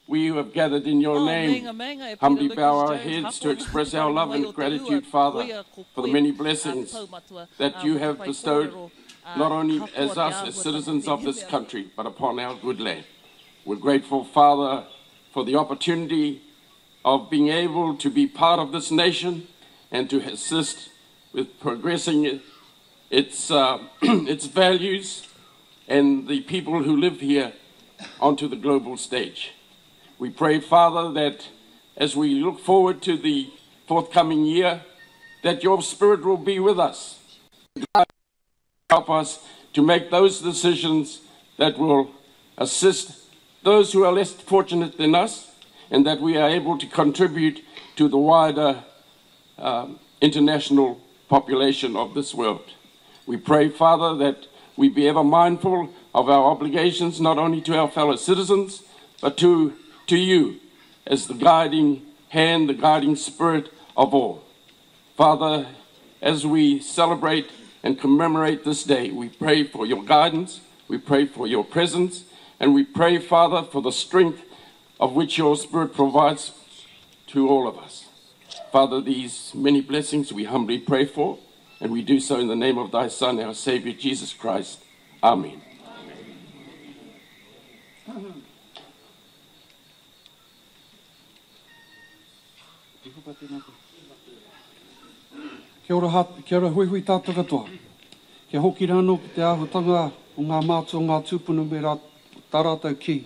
We who have gathered in your Oh, name meinga, meinga e Peter humbly Lucas bow our Jones, heads to hapo express nā our love mai and o te ua, gratitude, Father, koia ko for the koe, many te blessings taumatua, that ā, you mo te have whai bestowed kōrero, ā, not only katoa as te us as āhuatanga citizens of this tēnei mea. country, but upon our good land. We're grateful, Father, for the opportunity of being able to be part of this nation and to assist with progressing its, its values and the people who live here onto the global stage. We pray, Father, that as we look forward to the forthcoming year, that your Spirit will be with us, help us to make those decisions that will assist those who are less fortunate than us, and that we are able to contribute to the wider international population of this world. We pray, Father, that we be ever mindful of our obligations, not only to our fellow citizens, but to, to you as the guiding hand, the guiding spirit of all. Father, as we celebrate and commemorate this day, we pray for your guidance, we pray for your presence, and we pray, Father, for the strength of which your Spirit provides to all of us. Father, these many blessings we humbly pray for, and we do so in the name of thy Son, our Savior, Jesus Christ. Amen. Kia ora, ha, kia ora huihui tātou katoa. Kia hoki rānō ki te āhuatanga o ngā mātua o ngā tūpuna me rā, tā rātou kī.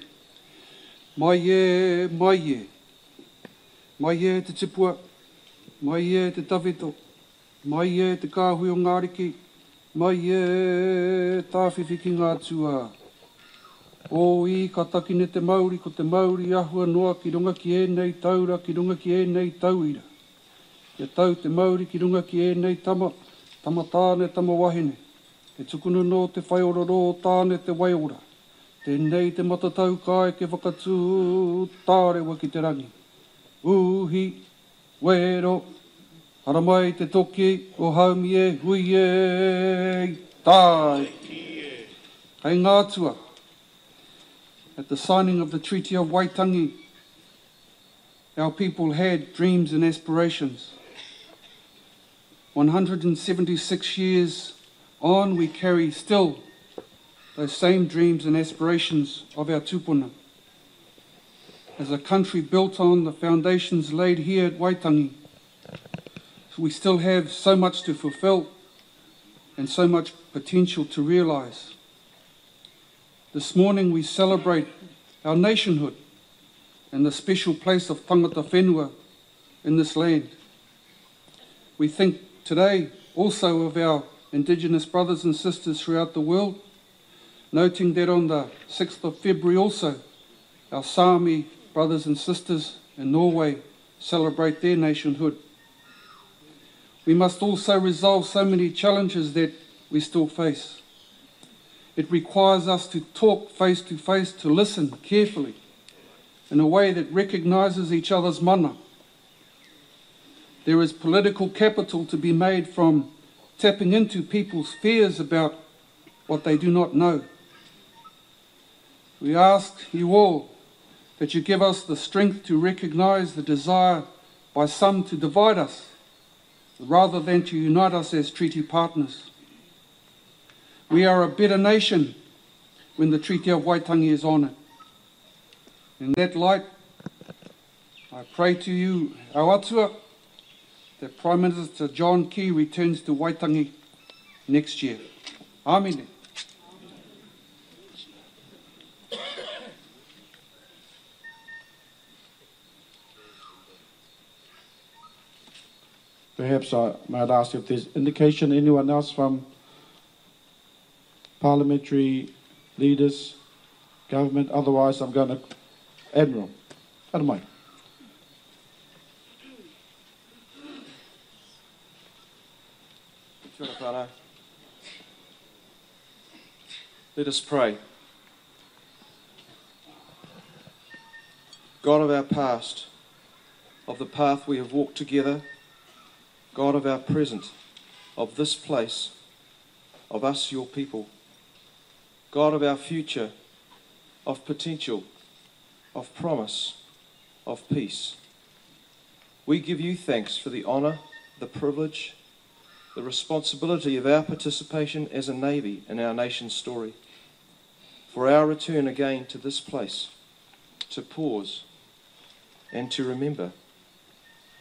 Mai e, mai e. Mai e te tipua, mai e te tawhito, mai e te kāhui o ngā ariki, mai e tāwhiwhi ki ngā atua. Ō i ka takine te mauri, ko te mauri ahua noa ki runga ki ēnei taura, ki runga ki ēnei tauira. Kia tau te mauri ki runga ki ēnei tama, tama tāne, tama wahine. E tukuna nō te whaiororō o Tāne te waiora. Tēnei te matatau ka eke whakatū tārewa ki te rangi. Uhi, wero, haramai te toki o haumi e hui e, tāi! Kei ngā atua, at the signing of the Treaty of Waitangi, our people had dreams and aspirations. 176 years on, we carry still those same dreams and aspirations of our tupuna. As a country built on the foundations laid here at Waitangi, we still have so much to fulfill and so much potential to realize. This morning we celebrate our nationhood and the special place of tangata whenua in this land. We think today also of our Indigenous brothers and sisters throughout the world, noting that on the 6th of February also, our Sami brothers and sisters in Norway celebrate their nationhood. We must also resolve so many challenges that we still face. It requires us to talk face to face, to listen carefully in a way that recognizes each other's mana. There is political capital to be made from tapping into people's fears about what they do not know. We ask you all that you give us the strength to recognize the desire by some to divide us rather than to unite us as treaty partners. We are a better nation when the Treaty of Waitangi is honoured. In that light, I pray to you, our atua, that Prime Minister John Key returns to Waitangi next year. Amine. Perhaps I might ask if there's indication anyone else from parliamentary leaders, government. Otherwise, I'm going to Admiral. Haramai. Kia ora, whānau. Let us pray. God of our past, of the path we have walked together, God of our present, of this place, of us, your people, God of our future, of potential, of promise, of peace. We give you thanks for the honour, the privilege, the responsibility of our participation as a Navy in our nation's story, for our return again to this place, to pause and to remember,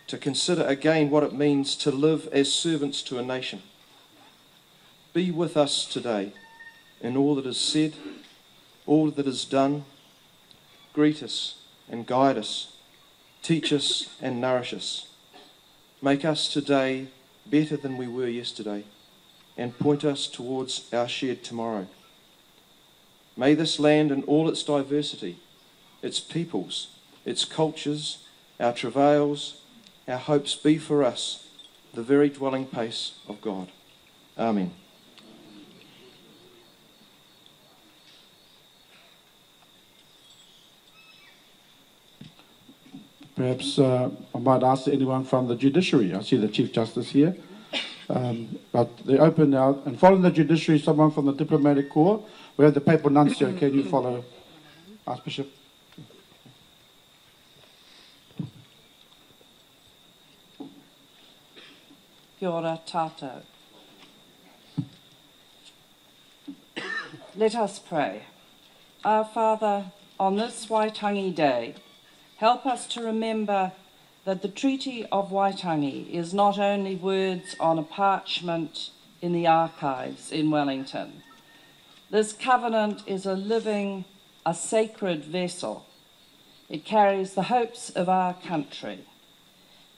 to consider again what it means to live as servants to a nation. Be with us today in all that is said, all that is done. Greet us and guide us, teach us and nourish us. Make us today better than we were yesterday and point us towards our shared tomorrow. May this land in all its diversity, its peoples, its cultures, our travails, our hopes be for us the very dwelling place of God. Amen. Perhaps uh, I might ask anyone from the judiciary. I see the Chief Justice here. Um, but they open now, and following the judiciary, someone from the diplomatic corps. We have the papal nuncio. Can you follow Archbishop? Kia ora tātou. Let us pray. Our Father, on this Waitangi Day, help us to remember that the Treaty of Waitangi is not only words on a parchment in the archives in Wellington. This covenant is a living, a sacred vessel. It carries the hopes of our country.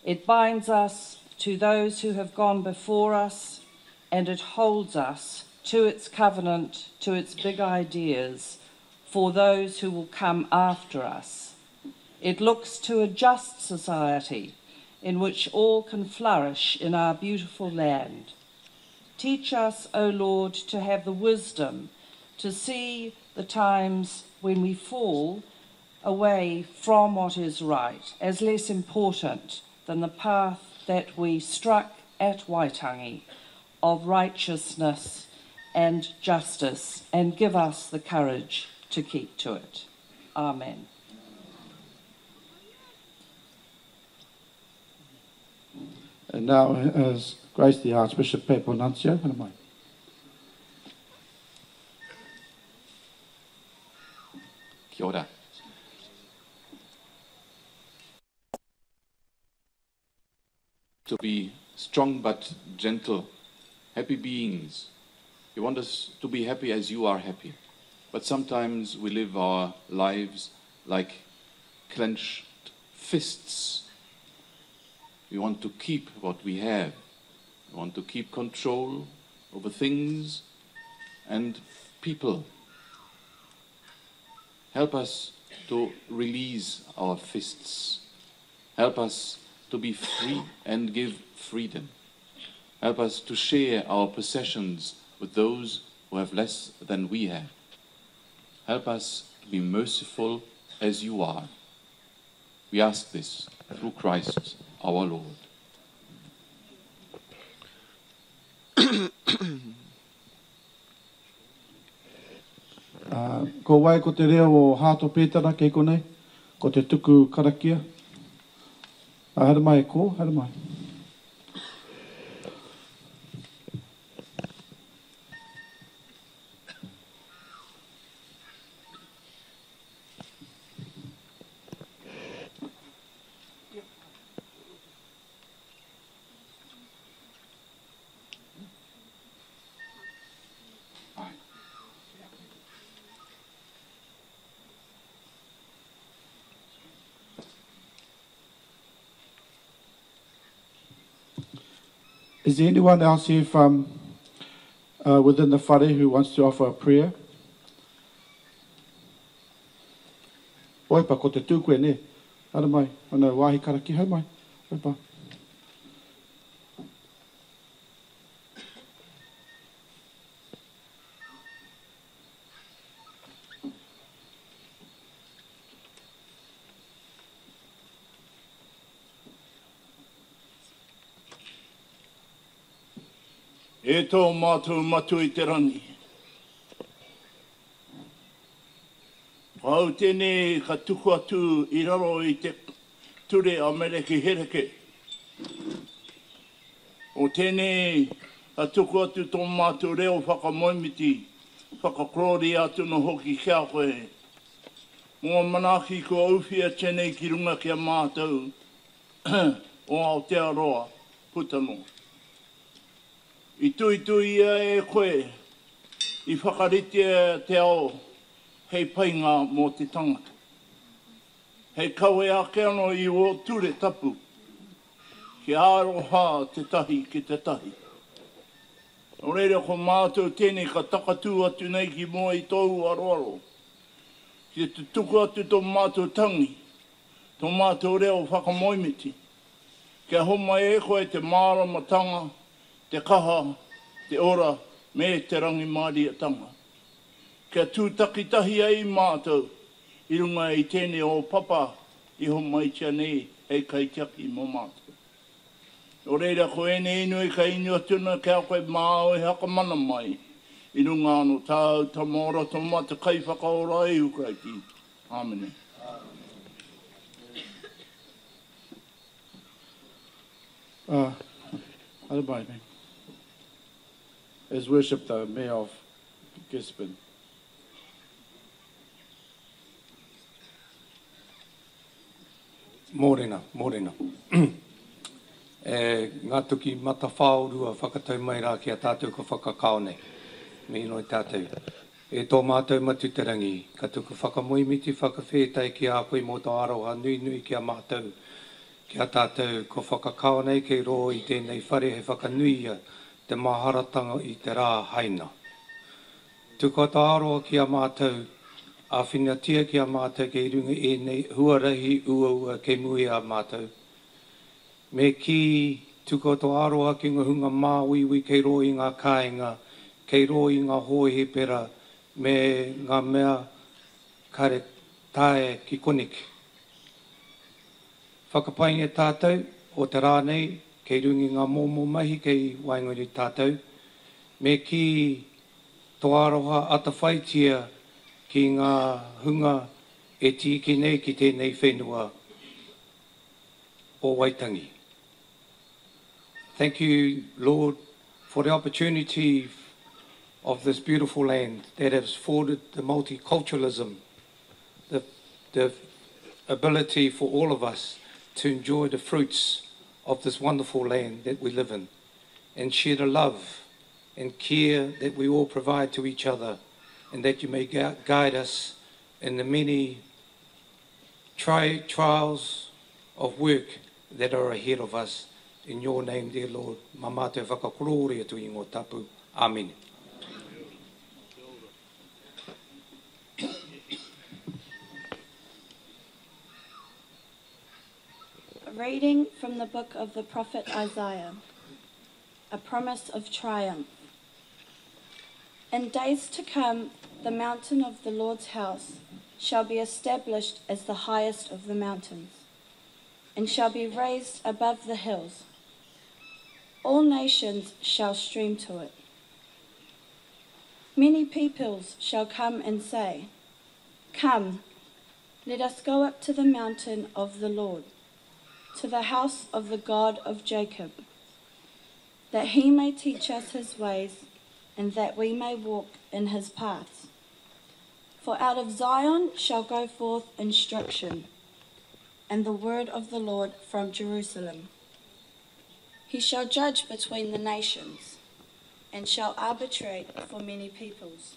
It binds us to those who have gone before us, and it holds us to its covenant, to its big ideas, for those who will come after us. It looks to a just society in which all can flourish in our beautiful land. Teach us, O Lord, to have the wisdom to see the times when we fall away from what is right as less important than the path that we struck at Waitangi of righteousness and justice, and give us the courage to keep to it. Amen. And now, as Grace the Archbishop Papal Nuncio, Kia ora. To be strong but gentle, happy beings. You want us to be happy as you are happy. But sometimes we live our lives like clenched fists. We want to keep what we have. We want to keep control over things and people. Help us to release our fists. Help us to be free and give freedom. Help us to share our possessions with those who have less than we have. Help us to be merciful as you are. We ask this through Christ our Lord. Uh, ko wai ko te reo o Hato Pētara kei konei, ko te tuku karakia. Uh, haere mai e ko, haere mai. Is there anyone else here from uh, within the whare who wants to offer a prayer? Oipa, ko te tū koe, ne? Haere mai, ana wāhi karakia, haere mai. Oipa. E tō mātou Matua i te Rangi. Ko au tēnei ka tuku atu i raro i te ture a Merekihereke. O tēnei ka tuku atu tō mātou reo whakamoemiti, whakakorōria atu anō hoki ki a koe. Mō ngā manaaki kua ūwhia tēnei ki runga ki a mātou o Aotearoa puta noa. I tuituia e koe, i whakaritea te ao hei painga mō te tangata. Hei kawe ake anō i ō ture tapu, kia aroha tētahi ki tētahi. Nō reira ko mātou tēnei ka takatū atu nei ki mua i tōu aroaro, ki te tuku atu tō mātou tangi, tō mātou reo whakamoemiti, kia homai e koe te māramatanga, te kaha, te ora me te rangimārietanga. Kia tū takitahi ai mātou i runga i tēnei o papa i homaitia nei hei kaitiaki mō mātou. Nō reira, ko ēnei inoi ka inu atu ana ki a koe māu e hakamana mai i runga anō tāu Tama ora toma te Kaiwhakaora Ihu Karaiti. Āmene. Uh, His Worship the Mayor of Gisborne. Mōrena, mōrena. E ngā tuki matawhāorua whakatau mai rā ki a tātou ka whakakao nei. Me inoi tātou. E tō mātou Matu te Rangi, ka tuku whakamoemiti whakawhētai ki a koe mō tō aroha nuinui ki a mātou, ki a tātou kua whakakao nei kei rō i tēnei whare hei whakanuia te maharatanga i te rā haina. Tukua tō aroha ki a mātou, āwhinatia ki a mātou kei runga i ēnei huarahi uaua kei mua i a mātou. Me kī, tukua tō aroha ki ngā hunga māuiui kei rō i ngā kāinga, kei rō i ngā hōhipera me ngā mea kare taea ki koneki. Whakapaingia tātou o te rā nei kei runga i ngā mōmō mahi kei waenganui tātou. Me kī, tō aroha atawhaitia ki ngā hunga e tīkī nei ki tēnei whenua o Waitangi. Thank you, Lord, for the opportunity of this beautiful land that has afforded the multiculturalism, the, the ability for all of us to enjoy the fruits of this wonderful land that we live in and share the love and care that we all provide to each other and that you may guide us in the many tri trials of work that are ahead of us. In your name, dear Lord, mā mātou whakakorōria tō ingoa tapu. Amine. A reading from the book of the prophet Isaiah, a promise of triumph. In days to come, the mountain of the Lord's house shall be established as the highest of the mountains, and shall be raised above the hills. All nations shall stream to it. Many peoples shall come and say, Come, let us go up to the mountain of the Lord, to the house of the God of Jacob, that he may teach us his ways, and that we may walk in his paths. For out of Zion shall go forth instruction, and the word of the Lord from Jerusalem. He shall judge between the nations, and shall arbitrate for many peoples.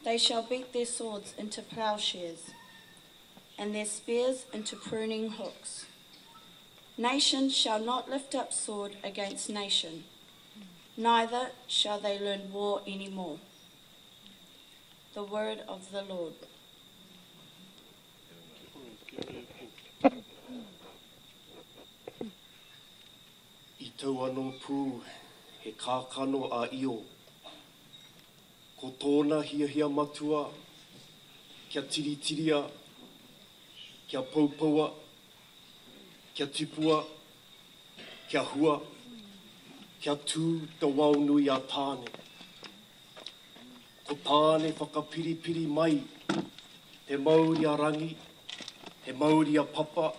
They shall beat their swords into plowshares, and their spears into pruning hooks. Nation shall not lift up sword against nation, neither shall they learn war any more. The word of the Lord. I tau anō pū he kākano a Io. Ko tōna hiahia matua kia tiritiria, kia poupoua, kia tipua, kia hua, kia tū te wao nui a Tāne. Ko Tāne whakapiripiri mai Te mauri a Rangi, he mauri a Papa,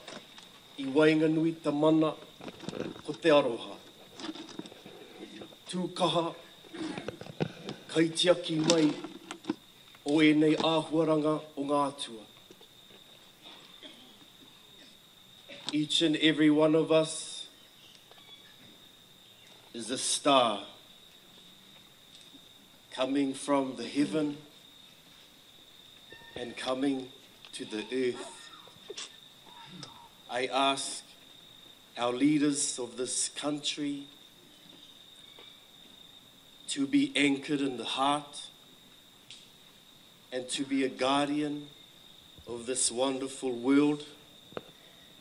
i waenganui te mana, ko te aroha. Tū kaha, kaitiaki mai o ēnei āhuaranga o ngā atua. Each and every one of us is a star coming from the heaven and coming to the earth. I ask our leaders of this country to be anchored in the heart and to be a guardian of this wonderful world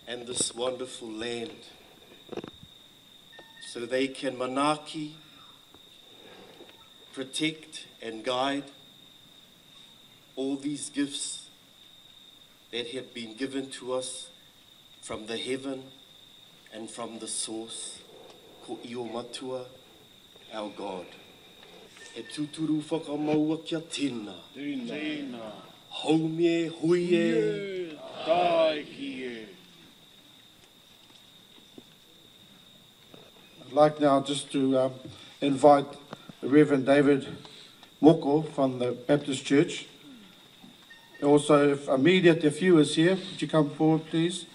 and this wonderful land so they can manaaki, protect and guide all these gifts that have been given to us from the heaven and from the source, ko Io Matua, our God. He tūturu whakamaua kia tena. Tena. Haumi e, hui e. Tāiki e. I'd like now just to invite the Reverend David Moko from the Baptist Church. Also, if Amelia Te Whiu is here, could you come forward, please?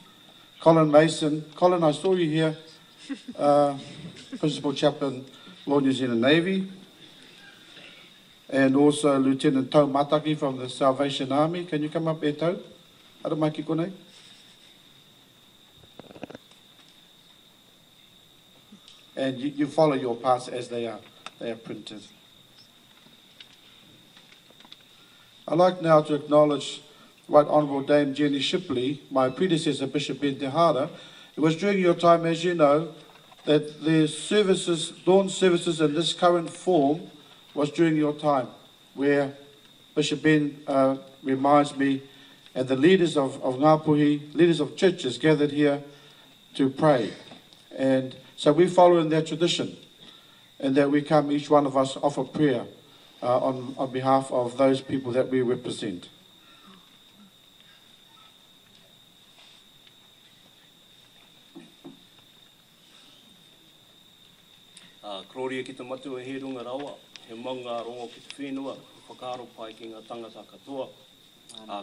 Colin Mason. Colin, I saw you here. Principal Chaplain, Royal New Zealand Navy. And also Lieutenant Tau Mataki from the Salvation Army. Can you come up, Eto? Aramaki kone. And you follow your paths as they are printed. I'd like now to acknowledge Right Honourable Dame Jenny Shipley, my predecessor, Bishop Ben Te Hara. It was during your time, as you know, that the services, dawn services in this current form was during your time, where Bishop Ben reminds me, and the leaders of Ngāpuhi, leaders of churches gathered here to pray. And so we follow in that tradition, and that we come, each one of us, offer prayer on behalf of those people that we represent. Gloria ki te matua he runga rawa, he maunga rongo ki te whenua, he whakaaro pai ki ngā tangata katoa.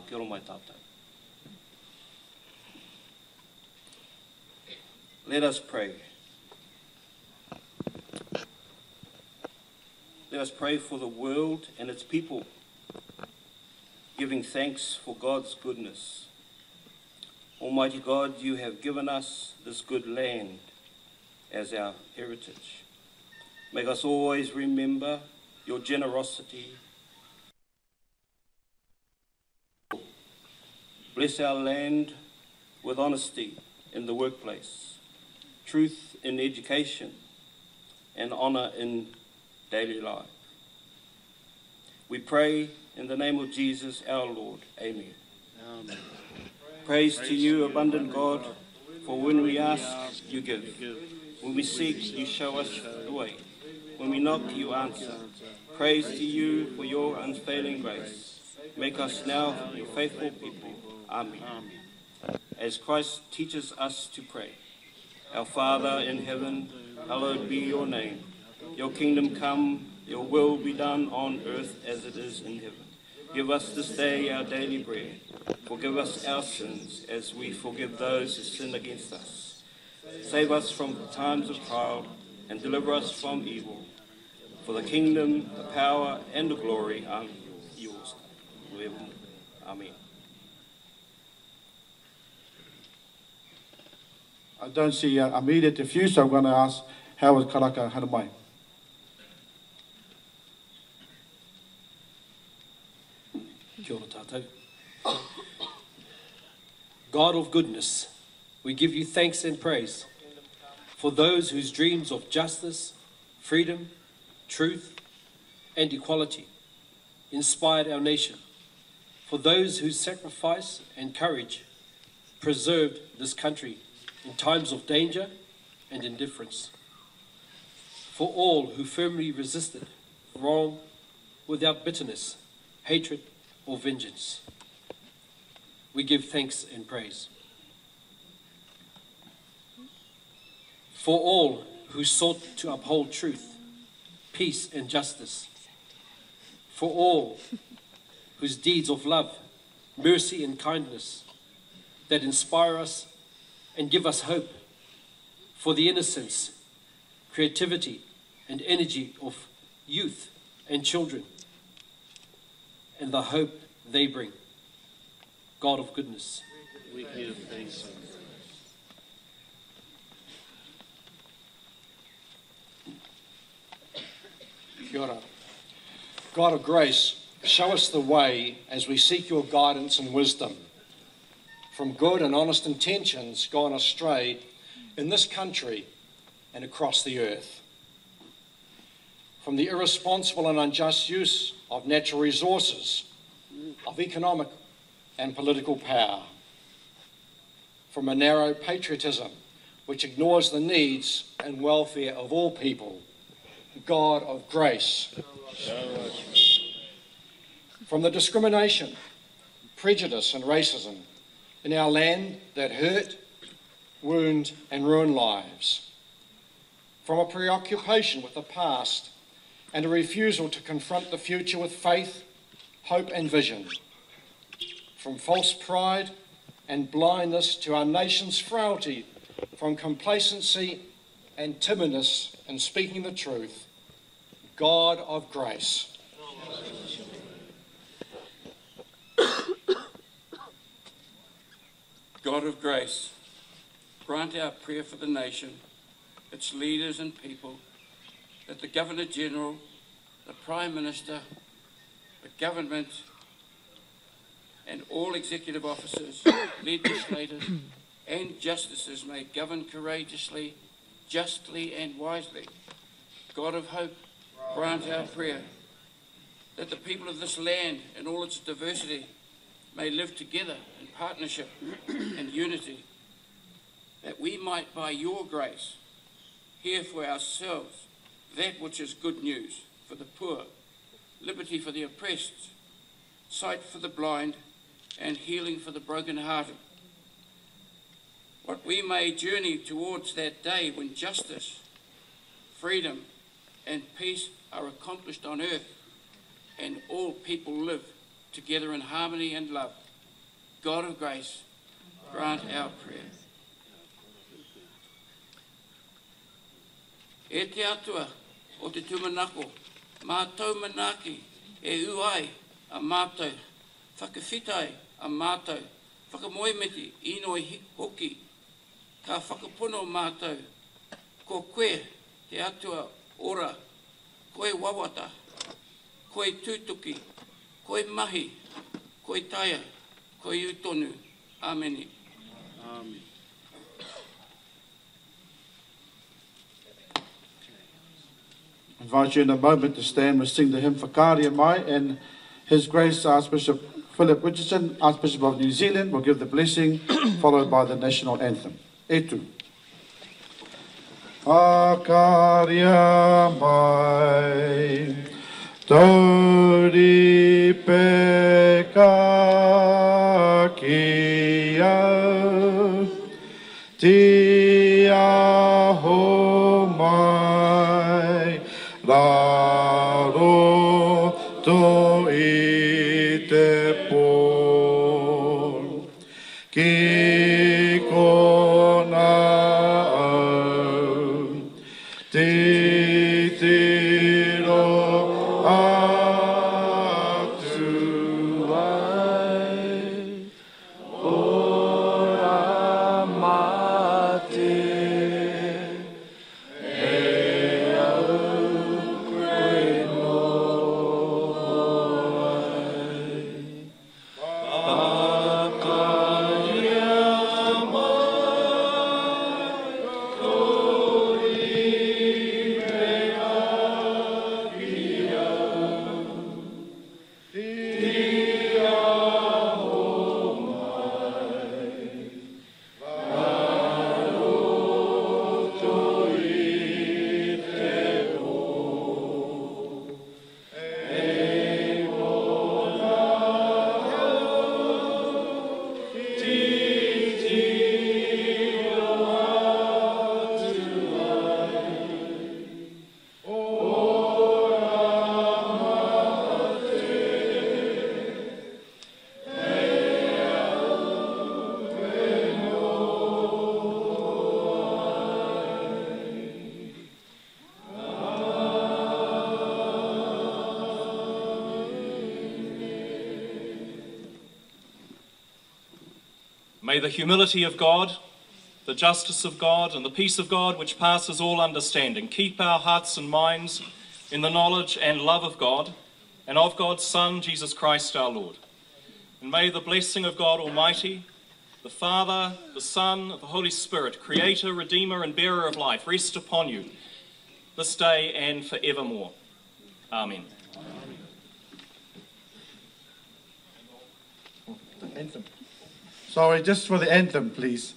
Kia ora mai tātou. Let us pray. Let us pray for the world and its people, giving thanks for God's goodness. Almighty God, you have given us this good land as our heritage. Make us always remember your generosity. Bless our land with honesty in the workplace, truth in education, and honour in daily life. We pray in the name of Jesus our Lord. Amen. Amen. Praise to you, abundant God, for when we ask, you give. When we seek, you show us the way. When we knock, you answer. Praise to you for your unfailing grace. Make us now your faithful people. Amen. As Christ teaches us to pray, Our Father in heaven, hallowed be your name. Your kingdom come, your will be done on earth as it is in heaven. Give us this day our daily bread. Forgive us our sins as we forgive those who sin against us. Save us from the times of trial and deliver us from evil. For the kingdom, the power, and the glory are yours. Amen. I don't see Amelia Te Whiu, so I'm going to ask Howard Karaka Haramai. Kia ora tātou. God of goodness, we give you thanks and praise for those whose dreams of justice, freedom, truth, and equality inspired our nation, for those whose sacrifice and courage preserved this country in times of danger and indifference, for all who firmly resisted wrong without bitterness, hatred, or vengeance. we give thanks and praise. For all who sought to uphold truth, peace, and justice. For all whose deeds of love, mercy, and kindness that inspire us and give us hope. For the innocence, creativity, and energy of youth and children, and the hope they bring. God of goodness. We give thanks. Kia ora. God of grace, show us the way as we seek your guidance and wisdom. From good and honest intentions gone astray in this country and across the earth. From the irresponsible and unjust use of natural resources, of economic and political power. From a narrow patriotism which ignores the needs and welfare of all people. God of grace. From the discrimination, prejudice and racism in our land that hurt, wound and ruin lives. From a preoccupation with the past and a refusal to confront the future with faith, hope and vision. From false pride and blindness to our nation's frailty, from complacency and timidness in speaking the truth, God of grace. God of grace, grant our prayer for the nation, its leaders and people, that the Governor-General, the Prime Minister, the government, and all executive officers, legislators, and justices may govern courageously, justly, and wisely. God of hope, grant our prayer that the people of this land in all its diversity may live together in partnership and unity, that we might, by your grace, hear for ourselves that which is good news for the poor, liberty for the oppressed, sight for the blind, and healing for the brokenhearted. What we may journey towards that day when justice, freedom, and peace are accomplished on earth, and all people live together in harmony and love. God of grace, grant our prayer. E te atua o te tūmanako, mātou manaaki e ū ai a mātou, whakawhitai a mātou, whakamoemiti inoi hoki, ka whakapono mātou, ko koe te atua ora, koe wawata, koe tūtuki, koe mahi, koe taia, koe utonu. Ameni. Amen. I invite you in a moment to stand. We'll sing the hymn Whakaaria Mai, and His Grace Archbishop Philip Richardson, Archbishop of New Zealand, will give the blessing, followed by the national anthem. E tu. Whakaaria mai, tauri peka ki au, tia ho mai, raro to i te pō. Ki kona au, titiro atu ai, ora mā te May the humility of God, the justice of God, and the peace of God, which passes all understanding, keep our hearts and minds in the knowledge and love of God and of God's Son, Jesus Christ our Lord. And may the blessing of God Almighty, the Father, the Son, the Holy Spirit, Creator, Redeemer, and Bearer of life, rest upon you this day and forevermore. Amen. Anthem. Sorry, just for the anthem, please.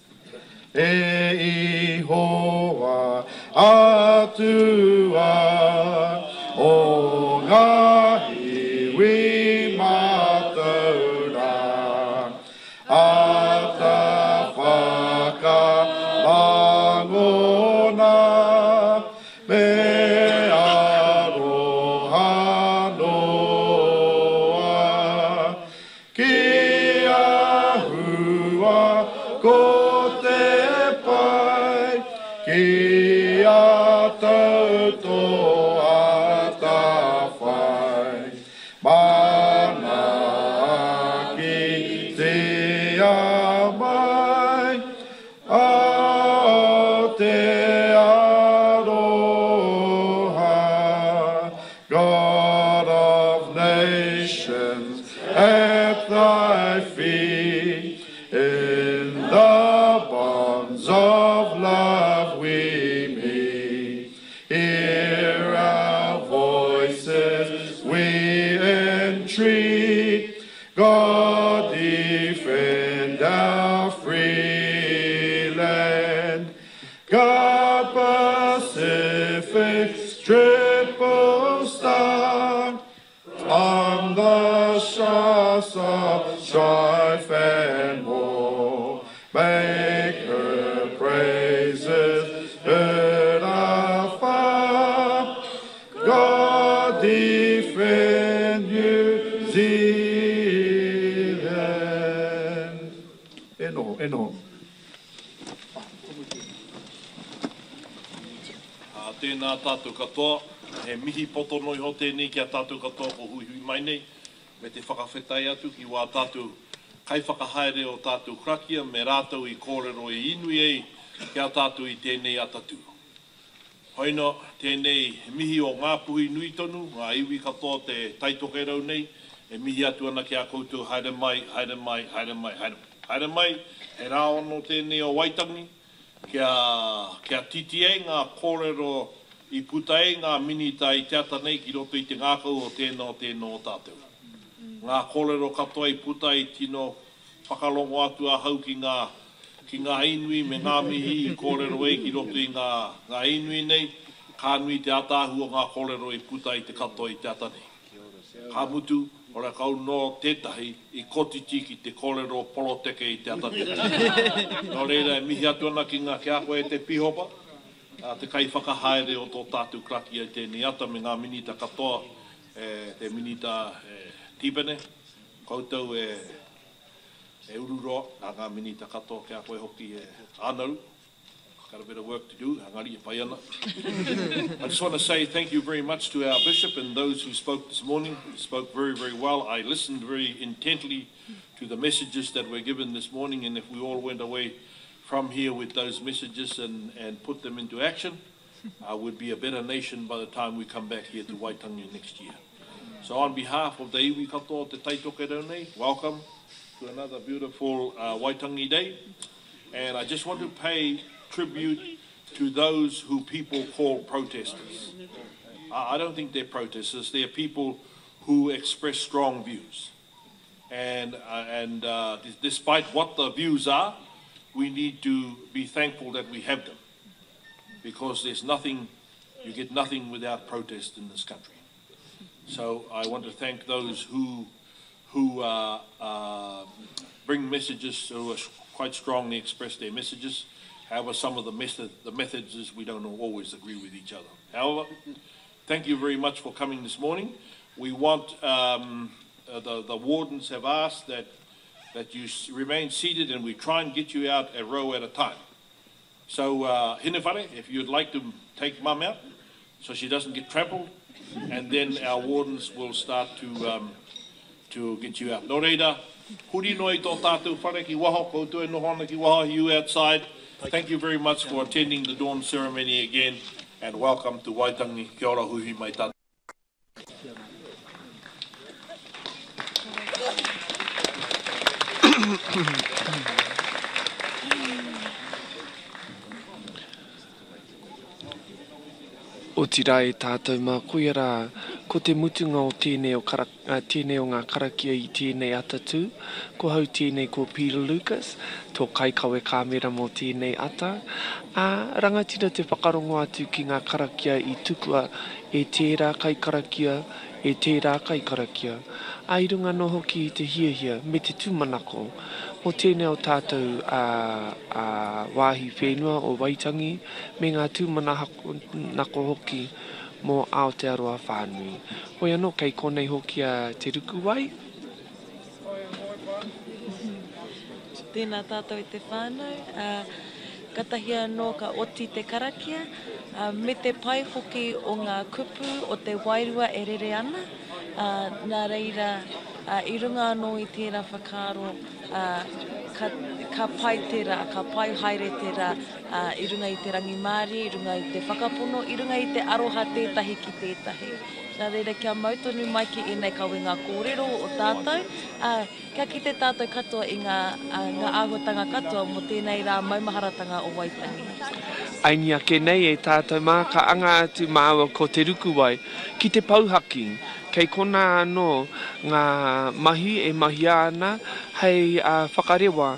E ihoa atua o ngā iwi mātauranga ata whakarangona me aroha noa ki a hua ko te pai ki a tau tō atawhai manaakitia mai Aotearoa God of nations, at thy feet, in the bonds of love we meet. Hear our voices, we entreat. God defend our free land. God Pacific's triple star, on the shores of strife and war, make her praises heard afar. God defend New Zealand. E noho, e noho. Ā, tēnā tātou katoa, he mihi poto noa iho tēnei ki a tātou katoa ko huihui mai nei, me te whakawhetai atu ki wā tātou kaiwhakahaere o tātou karakia me rātou i kōrero i inui ai ki a tātou i tēnei atatū. Hoina, tēnei mihi o Ngāpuhi nui tonu, ngā iwi katoa o te Taitokerau nei, e mihi atu ana ki a koutou haere mai, haere mai, haere mai, haere mai. Haere mai, he rā ono tēnei o Waitangi, kia, kia titi ai ngā kōrero i puta ai ngā minita i te ata nei ki roto i te ngākau o tēnā o tēnā o tātou. Ngā kōrero katoa i puta i tino whakarongo atu ahau ki ngā, ki ngā inui me ngā mihi i kōrero ai ki roto i ngā, ngā inui nei, ka nui te ataahua o ngā kōrero i puta i te katoa i te ata nei. Ka mutu, horekau nō tētahi i kotiti ki te kōrero poroteke i te ata nei. Nō reira e mihi atu ana ki ngā, ki a koe e te Pihopa, te kaiwhakahaere o tō tātou karakia i tēnei ata me ngā minita katoa, e te Minita Tipene, koutou e e Ururoa, nā ngā minita katoa ki a koe hoki e Anaru. Got a bit of work to do, engari e pai ana. I just want to say thank you very much to our bishop and those who spoke this morning. He spoke very, very well. I listened very intently to the messages that were given this morning, and if we all went away from here with those messages and, and put them into action, uh, we'd be a better nation by the time we come back here to Waitangi next year. So on behalf of the iwi katoa o Te Taitokerau nei, welcome to another beautiful uh, Waitangi Day. And I just want to pay tribute to those who people call protesters. I don't think they're protesters. They're people who express strong views. And, uh, and uh, despite what the views are, we need to be thankful that we have them. Because there's nothing, you get nothing without protest in this country. So I want to thank those who, who uh, uh, bring messages, who quite strongly express their messages. However, some of the, method, the methods is we don't always agree with each other. However, thank you very much for coming this morning. We want, um, uh, the, the wardens have asked that, that you remain seated and we try and get you out a row at a time. So, uh, Hinewhare, if you'd like to take mum out so she doesn't get trampled, and then our wardens will start to, um, to get you out. Nō reira, Huri noa i tō tātou whare ki waho, koutou e noho ana ki waho, you outside. Thank you very much for attending the dawn ceremony again and welcome to Waitangi. Kia ora huihui mai tātou. Otirā e tātou mā, koia rā, ko te mutunga o tēnei o kara, tēnei o ngā karakia i tēnei atatū. Ko hau tēnei ko Peter Lucas, tō kaikawe kāmera mō tēnei ata. Ā, rangatira te whakarongo atu ki ngā karakia i tukua e tērā kaikarakia, e tērā kaikarakia. Ā, i runga anō hoki i te hiahia me te tūmanako mō tēnei o tātou ā, ā, wāhi whenua o Waitangi, me ngā tūmanako hoki mō Aotearoa whānui. Hoi anō, kei konei hoki a Te Rukuwai. Tēnā tātou e te whānau, ā, katahi anō ka oti te karakia, ā, me te pai hoki o ngā kupu o te wairua e rere ana, ā, nā reira, ā, i runga anō i tērā whakaaro, ā, ka, ka pai te rā, ka pai haere te rā, ā, i runga i te rangimārie, i runga i te whakapono, i runga i te aroha tētahi ki tētahi. Nā reira, kia mau tonu mai ki ēnei kawenga kōrero o tātou, ā, kia kite tātou katoa i ngā, ā, ngā āhuatanga katoa mō tēnei rā maumaharatanga o Waitangi. Aini ake nei e tātou mā, ka anga atu māua ko Te Rukuwai ki te pouhaki. Kei konā anō ngā mahi e mahia ana hei whakarewa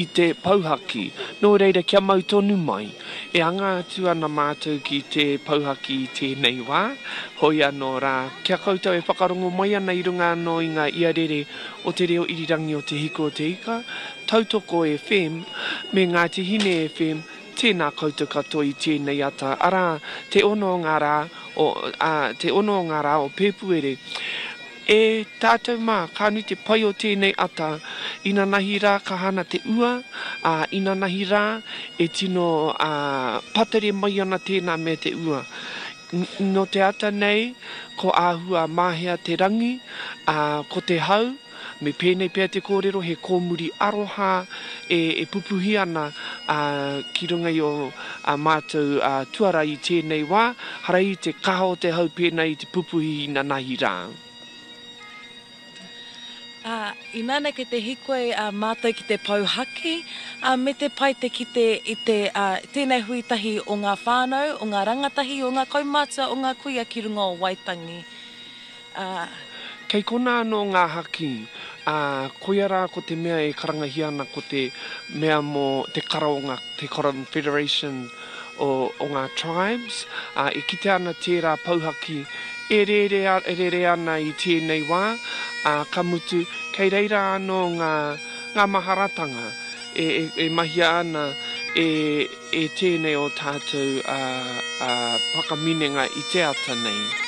i te pouhaki. Nō reira kia mau tonu mai. E anga atu ana mātou ki te pouhaki i tēnei wā, hoi anō rā, kia koutou e whakarongo mai ana i runga anō i ngā iarere o te reo irirangi o Te Hiku o Te Ika, Tautoko FM, me Ngāti Hine FM, Tēnā koutou katoa i tēnei ata, arā, te ono o ngā rā o, ā, te ono o ngā rā o Pēpuere. E tātou mā, ka nui te pai o tēnei ata, inanahi rā ka hana te ua, ā, inanahi rā e tino, ā, patere mai ana tēnā mea te ua. Nō te ata nei, ko āhua mahea te rangi, ā, ko te hau, Me pēnei pea te kōrero, he kōmuri aroha e pupuhi ana ki runga i ō mātou tuara i tēnei wā, hara i te kaha o te hau pēnā i te pupuhi inanahi rā. Ā, inana kei te hikoi mātou ki te pou haki, ā, me te pai te kite i te, ā, tēnei hui tahi o ngā whānau, o ngā rangatahi, o ngā kaumātua, o ngā kuia ki runga o Waitangi. Ā. Kei konā anō ngā haki, ā, koia rā ko te mea e karangahia ana ko te mea mō te kara o ngā, te Confederation o, o ngā tribes, ā, e kitea ana tērā pouhaki e rere, e rere ana i tēnei wā, ā, ka mutu, kei reira anō ngā, ngā maharatanga e, e, e mahia ana e, E tēnei o tātou whakaminenga i te ata nei.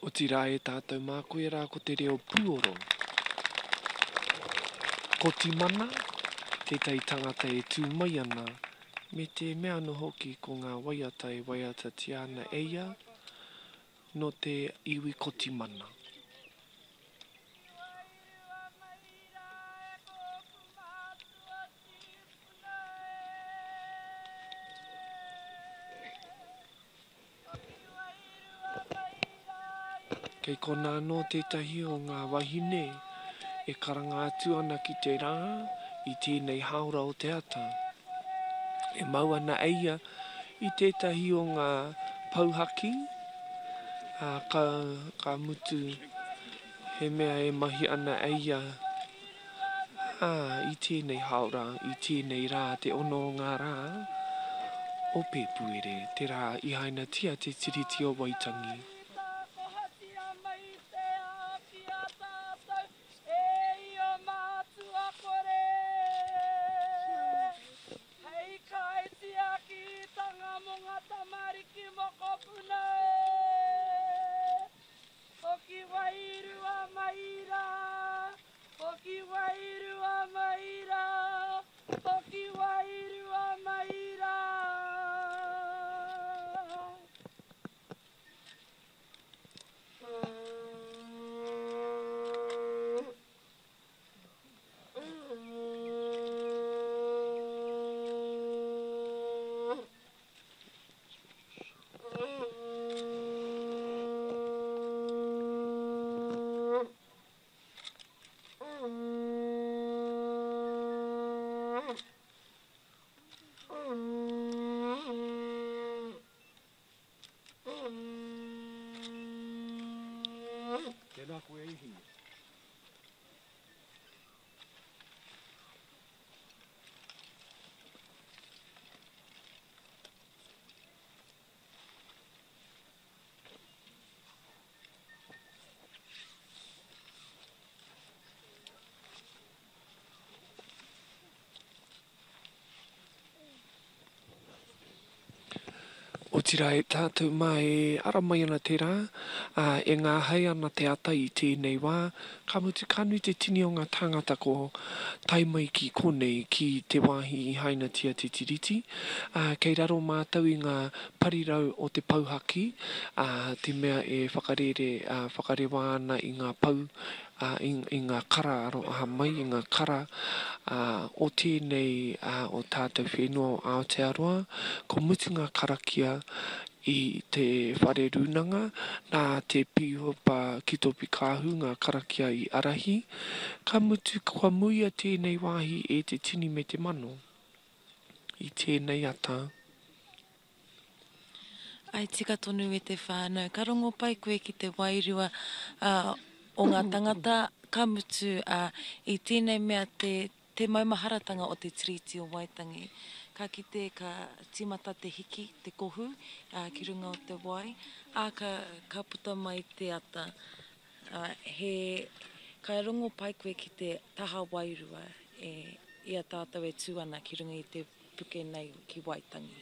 Otirā e tātou mā koe rā ko te reo pūoro. Ko Timana tētahi tangata e tū mai ana me te mea anō hoki ko ngā waiata e waiatatia ana e ia nō te iwi Kotimana. Kei konā anō tētahi o ngā wahine e karanga atu ana ki te rā i tēnei hāora o te ata. E mau ana e ia i tētahi o ngā pou haki, ā, ka, ka mutu he mea e mahi ana e ia Ā, i tēnei hāora, i tēnei rā, te ono o ngā rā o Pēpuere, te rā i hainatia te Tiriti o Waitangi. Hoki wairua mai rā, hoki wairua mai rā. Tēnā koe e Hine. Otirā e tātou mā e ara mai ana te rā, ā, e ngāhei ana te ata i tēnei wā, ka mutu ka nui te tini o ngā tāngata ko tae mai ki konei, ki te wāhi i hainatia te Tiriti, ā, kei raro mātou i ngā parirau o te pou haki, ā, te mea e whakarere, ā, whakarewa ana i ngā pou, ā, i, i ngā kara aroha mai, i ngā kara, ā, o tēnei, ā, o tātou whenua o Aotearoa, ko mutu ngā karakia i te whare rūnanga, nā te Pīhopa Kitopi Kāhu ngā karakia i arahi, ka mutu kua muia tēnei wāhi e te tini me te mano i tēnei ata. Ae tika tonu e te whānau. Ka rongo pai koe ki te wairua o ngā tangata, ka mutu i tēnei mea te te maumaharatanga o te Tiriti o Waitangi. Ka kite ka tīmata te hiki, te kohu ki runga o te wai, ā, ka ka puta mai te ata. He ka rongo pai koe ki te taha wairua e i a tātou e tū ana ki runga i te puke nei ki Waitangi.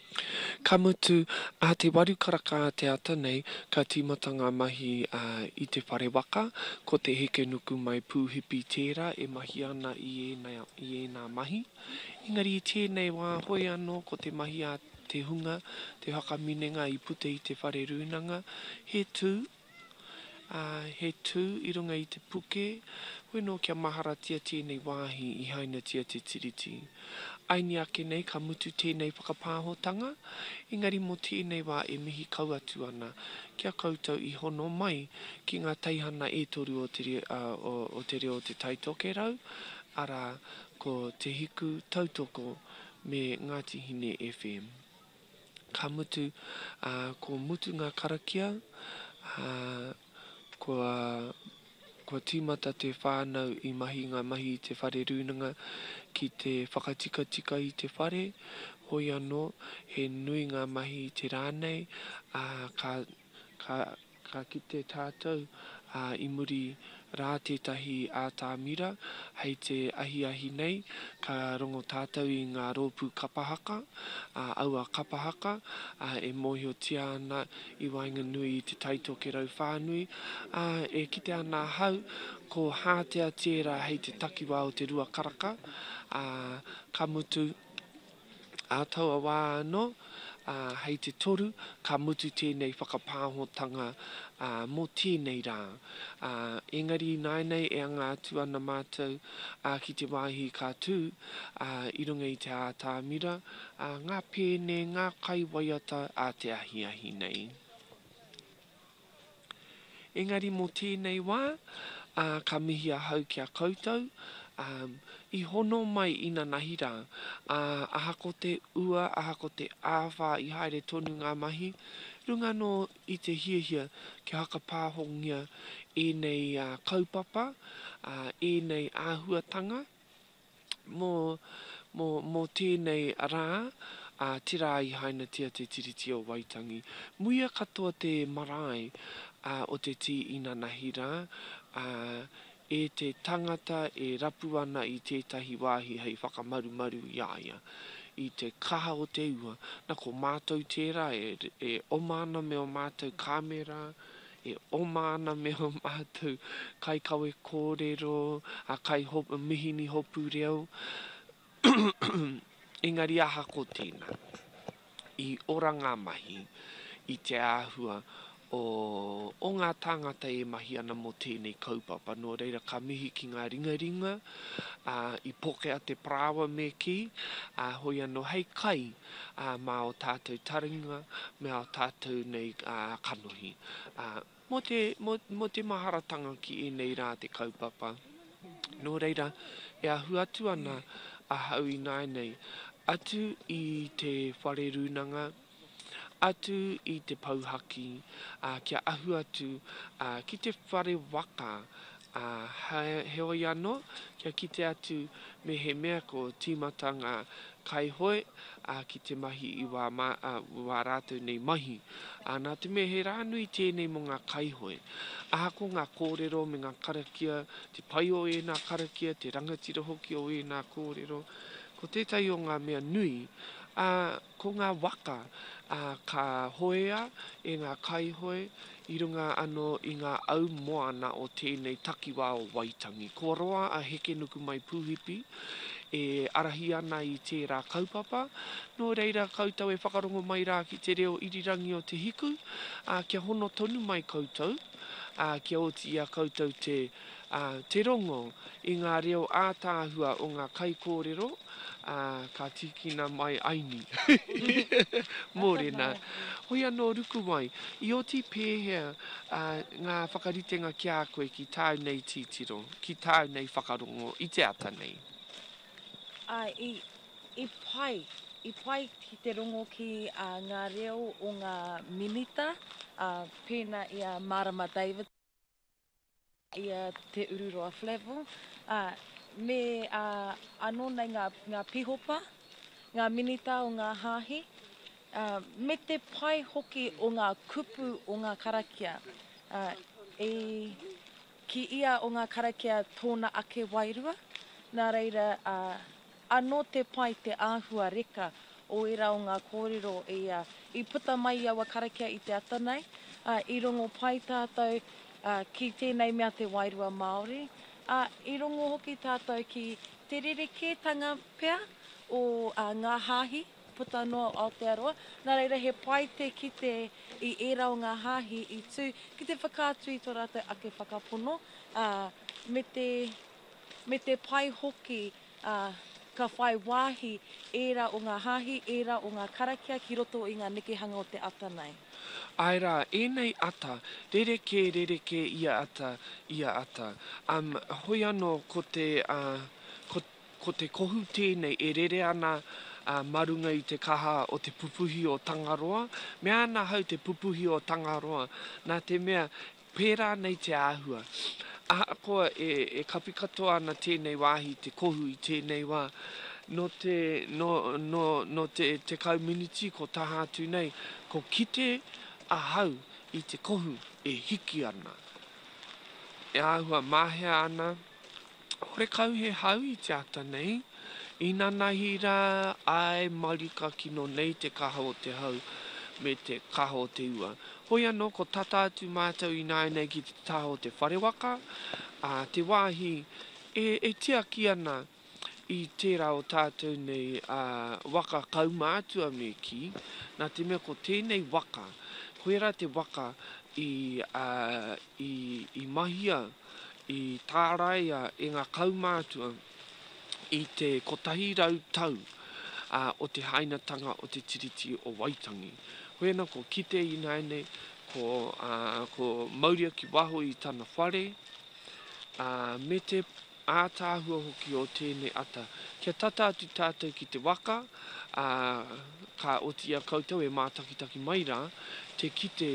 Ka mutu, ā te waru karaka a te ata nei, ka tīmata ngā mahi i te whare waka, ko Te Hekenukumai Pūhipi tērā e mahi ana i ēnā mahi. Engari i tēnei wā hoi anō ko te mahi a te hunga, te whakaminenga i puta i te whare rūnanga, he tū, ā, he tū i runga i te puke, hoi nō kia maharatia tēnei wāhi i hainatia te Tiriti. Aini ake nei ka mutu tēnei whakapāhotanga, engari mō tēnei wā e mihi kau atu ana ki a koutou i hono mai ki ngā teihana e toru o te, o te reo o Te Tai Tokerau, arā, ko Te Hiku, Tautoko me Ngāti Hine FM. Ka mutu, ā, ko mutu ngā karakia, ā, kua, kua tīmata te whānau i mahi ngā mahi i te whare rūnanga ki te whakatikatika i te whare, hoi anō, he nui ngā mahi i te rā nei, ā, ka, ka, ka kite tātou, ā, i muri, rā tētahi ātamira hei te ahiahi nei ka rongo tātou i ngā rōpū kapa haka, ā, aua kapa haka, ā, e mōhiotia ana i waenganui i Te Tai Tokerau whānui, ā, e kite ana ahau ko Hātea tērā hei te takiwā o te Ruakaraka, ā, ka mutu, Ā taua wā anō, ā, hei te toru, ka mutu tēnei whakapāhotanga, ā, mō tēnei rā. Ā, engari ināianei e anga atu ana mātou, ā, ki te wāhi ka tū, ā, i runga i te ātamira, ā, ngā pēne, ngā kaiwaiata ā te ahiahi nei. Engari mō tēnei wā, ā, ka mihi ahau ki a koutou, ā, i hono mai inanahi rā, ā, ahako te ua, ahako te āwhā i haere tonu ngā mahi, runga anō i te hiahia kia whakapāhongia ēnei kaupapa, ā, ēnei āhuatanga. Mō, mō, mō tēnei rā, ā, te rā i hainatia te Tiriti o Waitangi. Muia katoa te marae, ā, o te tī inanahi rā, ā, e te tangata e rapu ana i tētahi wāhi hei whakamarumaru i a ia, i te kaha o te ua. Na, ko mātou tērā e, e oma ana me ō mātou kāmera, E oma ana me ō mātou kaikawe kōrero, a kai mihini hopu reo, engari ahako tēnā, i ora ngā mahi i te āhua o, o ngā tāngata e mahi ana mō tēnei kaupapa. Nō reira ka mihi ki ngā ringaringa, ā, i pokea te parāoa me kī, ā, hoi anō hei kai ā, mā ō tātou taringa me ā tātou nei kanohi. Ā, mō te, mō, mō te maharatanga ki ēnei rā te kaupapa. Nō reira, e ahu atu ana ahau ināianei, atu i te whare rūnanga, atu i te pou haki, ā, kia ahu atu, ā, ki te whare waka, ā, heoi anō, kia kite atu mehemea ko tīmata ngā kaihoe, ā, ki te mahi i wā, ā, wā rātou nei mahi. Ā, nā te mea he rā nui tēnei mō ngā kaihoe. Ahako ngā kōrero me ngā karakia, te pai o ēnā karakia, te rangatira hoki o ēnā kōrero, ko tētahi o ngā mea nui, ā, ko ngā waka, ā, ka hoea e ngā kaihoe i runga anō i ngā au moana o tēnei takiwā o Waitangi. Kua roa a Hekenukumai Pūhipi e arahi ana i tērā kaupapa, nō reira koutou e whakarongo mai rā ki te reo irirangi o Te Hiku, ā, kia hono tonu mai koutou, ā, kia oti i a koutou te, ā, te rongo i ngā reo ātaahua o ngā kaikōrero, ā, ka tīkina mai aini. Mōrena. Hoi anō Rukuwai, i oti pēhea ngā whakaritenga ki a koe ki tāu nei titiro, ki tāu nei whakarongo i te ata nei? Āe, i, i pai, i pai ki te rongo ki ngā reo o ngā minita, ā, pēnā i a Marama Davidson, i a Te Ururoa Flavell, ā, me ā, anō nei ngā, ngā pihopa, ngā minita o ngā hāhi, ā, me te pai hoki o ngā kupu o ngā karakia. Ā, i ki ia o ngā karakia tōna ake wairua, nā reira, ā, Anō te pai te āhua reka o ērā o ngā kōrero i, i puta mai i aua karakia i te ata nei. I rongo pai tātou ki tēnei mea te wairua Māori, ā, i rongo hoki tātou ki te rerekētanga pea o ngā hāhi puta noa o Aotearoa. Nā reira he pai te kite i ērā o ngā hāhi i tū ki te whakaatu i tō rātou ake whakapono, ā, me te, me te pai hoki ā, ka whai wāhi ērā o ngā hāhi, ērā o ngā karakia ki roto i ngā nekehanga o te ata nei. Āe rā, ēnei ata, rerekē, rerekē ia ata, ia ata. Um, hoi anō ko te, uh, ko, ko te kohu tēnei e rere ana, uh, mā runga i te kaha o te pupuhi o Tangaroa. Mea ana ahau te pupuhi o Tangaroa, nā te mea Pērā nei te āhua. Ahakoa e kapi katoa ana tēnei wāhi i te kohu i tēnei wā, nō te, nō, nō, nō te 10 miniti ko taha atu nei, ko kite ahau i te kohu e hiki ana. E āhua mahea ana, horekau he hau i te ata nei, inanahi rā, āe marika kino nei te kaha o te hau me te kaha o te ua. Hoi anō ko tata atu mātou ināianei ki te taha o te whare waka, ā, te wāhi e, e tiaki ana i tērā o tātou nei waka kaumātua me kī, nā te mea ko tēnei waka, koirā te waka i, i, i mahia, i tāraia e ngā kaumātua i te 100 tau o te hainatanga o te Tiriti o Waitangi. Hoi ana ko kite ināianei, ko, ko mauria ki waho i tana whare, ā, me te ātaahua hoki o tēnei ata. Kia tata atu tātou ki te waka, ā, ka oti i a koutou e mātakitaki mai rā, te kite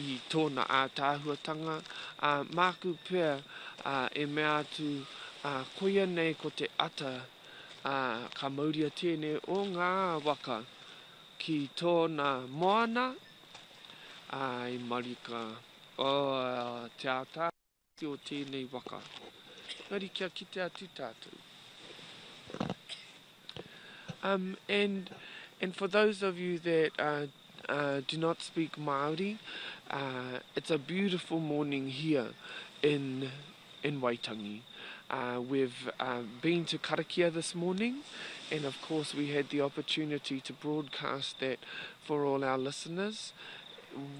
i tōna ātaahuatanga, ā, māku pea, ā, e mea atu, ā, koia nei ko te ata, ā, ka mauria tēnei o ngā waka ki tōna moana, ā, i marika, oh, te ātaahua. o tēnei waka. Engari kia kite atu tātou. Um, and, and for those of you that uh, uh, do not speak Māori, uh, it's a beautiful morning here in, in Waitangi. Uh, we've uh, been to Karakia this morning, and of course we had the opportunity to broadcast that for all our listeners.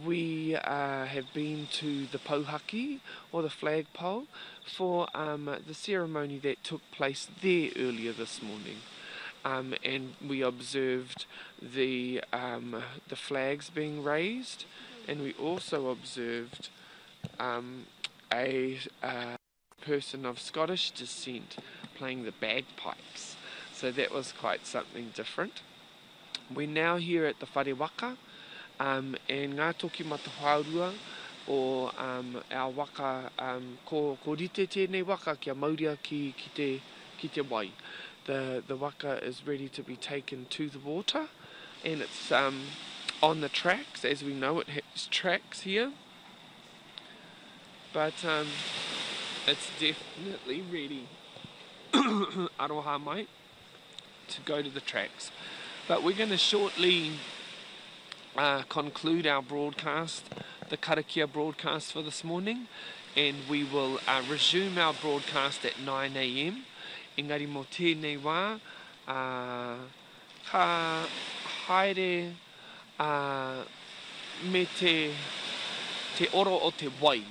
We uh, have been to the Pouhaki, or the flagpole, for um, the ceremony that took place there earlier this morning. Um, and we observed the, um, the flags being raised, and we also observed um, a, a person of Scottish descent playing the bagpipes. So that was quite something different. We're now here at the Whare Waka, um, and Ngā Toki Matawhaorua o um, our waka, um, ko, ko rite tēnei waka kia mauria ki, ki, te, ki te wai. The, the waka is ready to be taken to the water, and it's um, on the tracks, as we know it has tracks here. But um, it's definitely ready, aroha mai, to go to the tracks. But we're going to shortly uh, conclude our broadcast, the Karakia broadcast for this morning, and we will uh, resume our broadcast at 9 a.m. Engari mō tēnei wā, uh, ka haere uh, me te, te oro o te wai.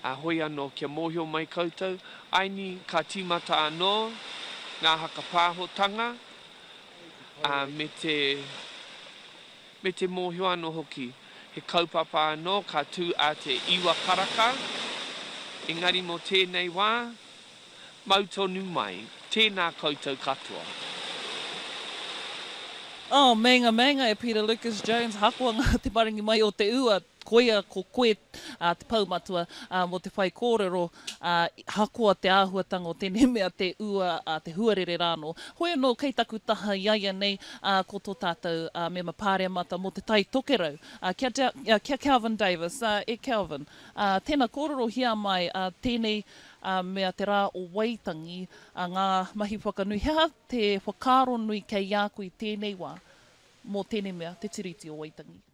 Uh, hoi anō, kia mōhio mai koutou, aini ka tīmata anō ngā hakapāhotanga, uh, me te, me te mōhio anō hoki. He kaupapa anō ka tū a te iwa karaka, engari mō tēnei wā, mau tonu mai. Tēnā koutou katoa. Oh, meinga, meinga e Peter Lucas Jones, hakoa ngā te maringi mai o te ua, koia ko koe te pou matua mō te whaikōrero, hakoa te āhuatanga o tēnei mea te ua, te huarere rānō. Hoi anō, kei taku taha i a ia nei ko tō tātou mema pāremata mō Te Tai Tokerau, kia Kelvin Davis. E Kelvin, tēnā kōrerohia mai tēnei mea te rā o Waitangi, ngā mahi whakanui, he aha te whakaaro nui kei a koe i tēnei wā mō tēnei mea, te Tiriti o Waitangi?